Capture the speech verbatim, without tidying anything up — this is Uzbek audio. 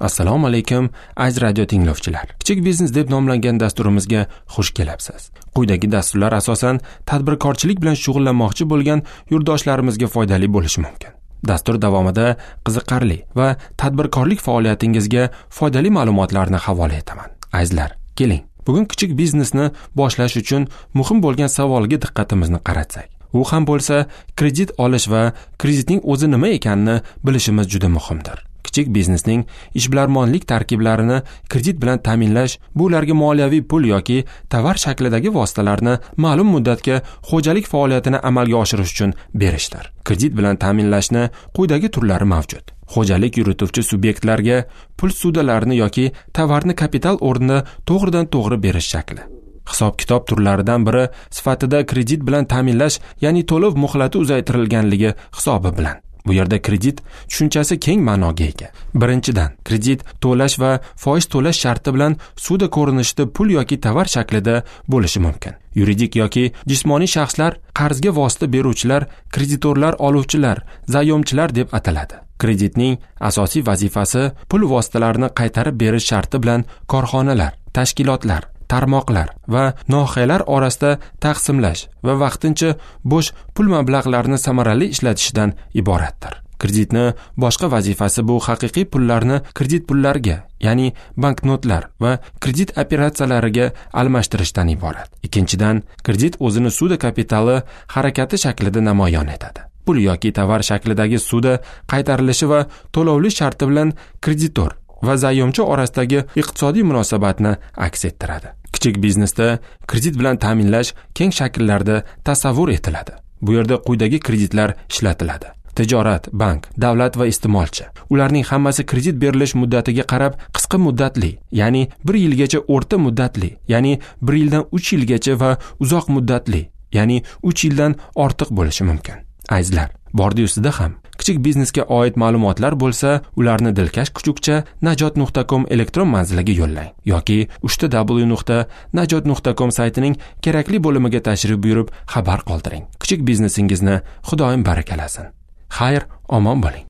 Assalomu alaykum, aziz radio tinglovchilar. Kichik biznes deb nomlangan dasturimizga xush kelibsiz. Quyidagi dasturlar asosan tadbirkorchilik bilan shug'ullanmoqchi bo'lgan yurtdoshlarimizga foydali bo'lishi mumkin. Dastur davomida qiziqarli va tadbirkorlik faoliyatingizga foydali ma'lumotlarni havola etaman. Azizlar, keling. Bugun kichik biznesni boshlash uchun muhim bo'lgan savolga diqqatimizni qaratsak. U ham bo'lsa, kredit olish va kreditning o'zi nima ekanini bilishimiz juda muhimdir. Kichik biznesning ishbilarmonlik tarkiblarini kredit bilan ta'minlash bu ularga moliyaviy pul yoki tovar shaklidagi vositalarni ma'lum muddatga xo'jalik faoliyatini amalga oshirish uchun berishdir. Kredit bilan ta'minlashni quyidagi turlari mavjud. Xo'jalik yurituvchi subyektlarga pul sudalarini yoki tovarni kapital o'rnida to'g'ridan to'g'ri berish shakli. Hisob-kitob turlaridan biri sifatida kredit bilan ta'minlash, ya'ni to'lov muhlati uzaytirilganligi hisobi bilan. Bu yerda kredit tushunchasi keng ma'noga ega. Birinchidan, kredit to'lash va foiz to'lash sharti bilan suda ko'rinishida pul yoki tovar shaklida bo'lishi mumkin. Yuridik yoki jismoniy shaxslar qarzga vosita beruvchilar, kreditorlar, oluvchilar, zayomchilar deb ataladi. Kreditning asosiy vazifasi pul vositalarini qaytarib berish sharti bilan korxonalar, tashkilotlar, tarmoqlar va nohiyalar orasida taqsimlash va vaqtincha bo'sh pul mablag'larini samarali ishlatishdan iboratdir. Kreditni boshqa vazifasi bu haqiqiy pullarni kredit pullarga, ya'ni banknotlar va kredit operatsiyalariga almashtirishdan iborat. Ikkinchidan, kredit o'zini suda kapitali harakati shaklida namoyon etadi. Pul yoki tovar shaklidagi suda qaytarilishi va to'lovli sharti bilan kreditor va zayomchi orasidagi iqtisodiy munosabatni aks ettiradi. Kichik biznesda kredit bilan ta'minlash keng shakllarda tasavvur etiladi. Bu yerda quyidagi kreditlar ishlatiladi: tijorat, bank, davlat va iste'molchi. Ularning hammasi kredit berilish muddatiga qarab qisqa muddatli, ya'ni bir yilgacha, o'rta muddatli, ya'ni bir yildan uch yilgacha va uzoq muddatli, ya'ni uch yildan ortiq bo'lishi mumkin. Azizlar, bordi ustida ham kichik biznesga oid ma'lumotlar bo'lsa, ularni dilkash kuchukcha najot nuqta com elektron manziliga yo'llang yoki uchta w nuqta najot nuqta com saytining kerakli bo'limiga tashrif buyurib xabar qoldiring. Kichik biznesingizni Xudoyim barakalasin. Xayr, omon bo'ling.